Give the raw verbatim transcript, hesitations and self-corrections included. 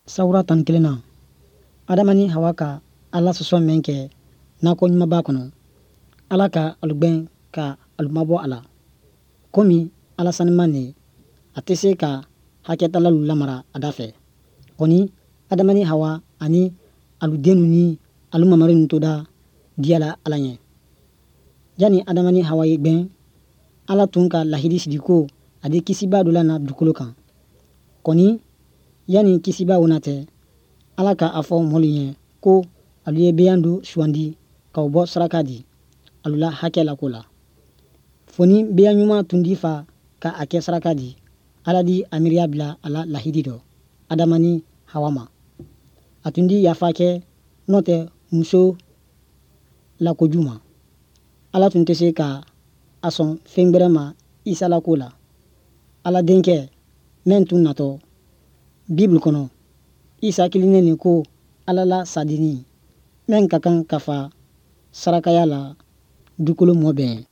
Sawura tan ni kelen na, Adama ni Hawa ka Ala sɔsɔ mɛn kɛ nakɔ ɲumanba kɔnɔ, Ala ka alu gwɛn ka alu mabɔ a la. Komi Ala saniman ne, a tɛ se ka hakɛtalalu lamara a da fɛ. Kɔni Adama ni Hawa ani alu dennu ni alu mamarinnu toda diyala Ala ɲɛ. Yanni Adama ni Hawa ye gwɛn, Ala tun ka lahidi sigi ko a di kisiba dɔ lana dugukolo kan. Kɔni yanni kisiba o na tɛ, Ala ka a fɔ mɔlu ɲɛ ko alu ye beyan dɔ sugandi ka o bɔ saraka di alu la hakɛ la ko la. Fo ni beyan ɲuman tun di fa ka a kɛ saraka di, Ala di a miiriya bila a la lahidi dɔ Adama ni Hawa ma. A tun di yafa kɛ n'o tɛ muso la koju ma. Ala tun tɛ se ka a sɔn fɛn gbɛrɛ ma Isa la ko la, Ala denkɛ mɛn tun natɔ. Bibulu kɔnɔ, Isa kilinnen nin ko Ala la sadini mɛn ka kan ka fa sarakaya la dukolo mɔ bɛɛ.